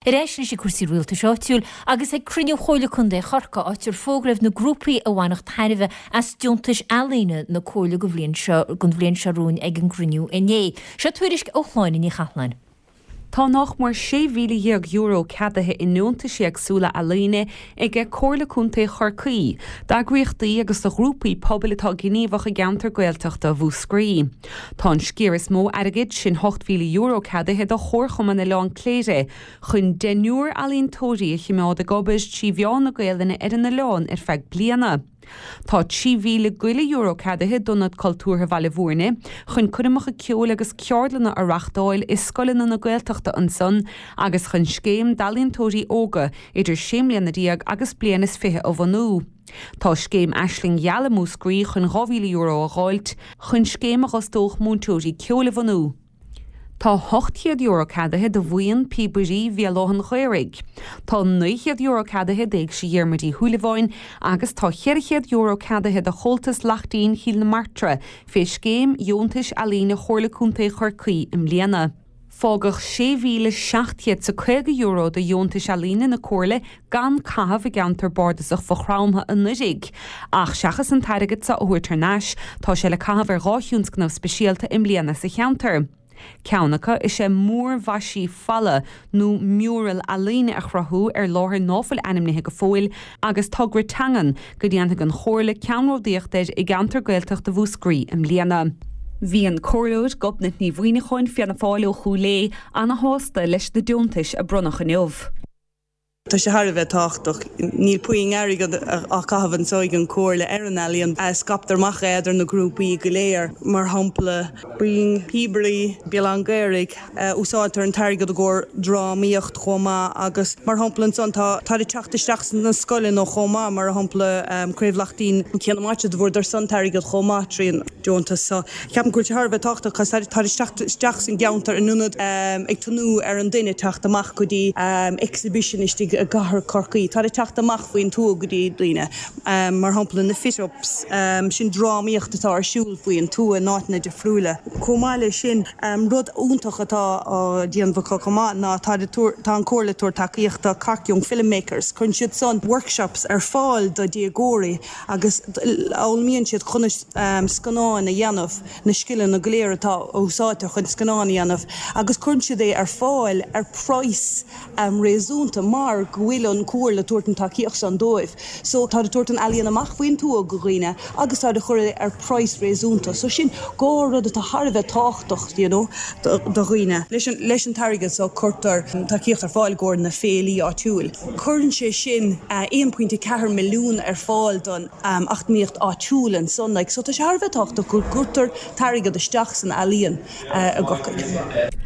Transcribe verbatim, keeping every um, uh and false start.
Ar ais leis ag cúrsaí rialtais áitiúil agus ag cruinniú Chomhairle Contae Chorcaí áit ar fógraíodh na grúpaí a bhainfeadh tairbhe as deontais ealaíne na Comhairle go bhliain seo don bhliain seo romhainn ag an gcruinniú inné. Seo tuairisc ó Shláine Ní Chatháin. Tá nach mór sé mhíle dhéag euro ceadaithe i ndeontais éagsúla ealaíne ag Comhairle Contae Chorcaí, d'eagraíochtaí agus do ghrúpaí pobail atá gníomhach i gceantar Gaeltachta Mhúscraí. Tá an sciar is mó airgid sin ocht mhíle euro ceadaithe do Chomharchumann Oileán Cléire, chun deichniúr ealaíontóirí a choimeád ag obair trí mheán na Gaelainne ar an oileán ar feadh bliana. Tá trí mhíle go leith euro ceadaithe d'Ionad Cultúrtha Bhaile Bhúirne chun coirmeacha ceoil agus ceardlanna a reáchtáil i scoileanna na Gaeltachta ansan agus chun scéim d'ealaíontóirí óga idir sé bliana déag agus bliain is fiche a bhunú. Tá scéim Aisling Gheal i Múscraí chun dhá mhíle euro a dháileadh chun scéim a d'fhostódh múinteoirí ceoil a bhunú. Tá ocht chéad euro ceadaithe do bhuíon píobairí Bhéal Átha an Ghaorthaidh. Tá naoi chéad euro ceadaithe d'Éigse Dhiarmuid Uí Shúilleabháin agus tá ceithre chéad euro ceadaithe do Chomhaltas Laichtín Chill na Martra fé scéim dheontais ealaíne Chomhairle Contae Chorcaí i mbliana. Fágadh sé mhíle seacht gcéad is caoga euro de dheontais ealaíne na Comhairle gan caitheamh i gceantar bardasach Mhaigh Chromtha anuraidh. Ach seachas an t-airgead seo a thabhairt thar n-ais, tá sé le caitheamh ar dhá thionscnamh speisialta i mbliana sa cheantar. Ceann acu is ea múrmhaisiú falla nó mural ealaíne a chruthú ar láthair ná fuil ainmnithe go fóill agus togra teangan go ndéanfaidh an Chomhairle ceannródaíocht air i gceantar Gaeltachta Mhúscraí i mbliana. Bhí an Comhairleoir Gobnait Ní Mhuimhneacháin Fianna Fáil ó Chúil Aodha ana-shásta leis na deontais a bronnadh inniu. Tá sé thar a bheith tábhachtach. Níl puinn airgead á caitheamh anseo ag an Chomhairle ar an ealaíon. Scaiptear amach é idir na grúpaí go léir. Mar shampla, Buíon Píobairí Béal Átha an Ghaorthaidh, úsáidtear an t-airgead i gcomhair drámaíocht chomh maith agus mar shampla ansan tá táid ag teacht isteach sna scoileanna chomh maith, mar shampla Craobh Laichtín Cé na Maite do bhfuaireadar san t-airgead chomh maith trí an deontas so ceapaim go bhfuil sé thar a bheith tábhachtach cos táid ag teacht isteach san gceantar in ionad ag tnúth ar an duine teacht amach go dtí exhibition istigh i gcathair Chorcaí. Táid ag teacht amach faoin tuath go dtí daoine, mar shampla na fit-ups, sin drámaíocht atá ar siúl faoin tuath in áiteanna difriúla. Chomh maith leis sin, rud iontach atá á déanamh acu chomh maith ná tá tá an Chomhairle ag tabhairt tacaíocht do Cork Young Filmmakers. Cuireann siad san workshops ar fáil do dhéagóirí agus fhoghlaimíonn siad conas scannáin a dhéanamh, na scileanna go léir atá a úsáidtear chun scannáin a dhéanamh agus cuireann siad é ar fáil ar praghas réasúnta mar go bhfuil an Chomhairle ag tabhairt an tacaíocht san dóibh. So tá ag tabhairt an ealaíon amach faoin tuath go dhaoine agus tá ag cur é ar praghas réasúnta. So sin dhá rud atá thar a bheith tábhachtach you know, do dhaoine. Leis an leis an t-airgead so cuirtear tacaíocht ar fáil i gcomhair na féilí áitiúil. Cuireann sé sin aon pointe ceathair milliún ar fáil don eacnamaíocht áitiúil ansan like. So tá sé thar a bheith tábhachtach go gcuirtear t-airgead isteach san ealaíon i gCorcaigh.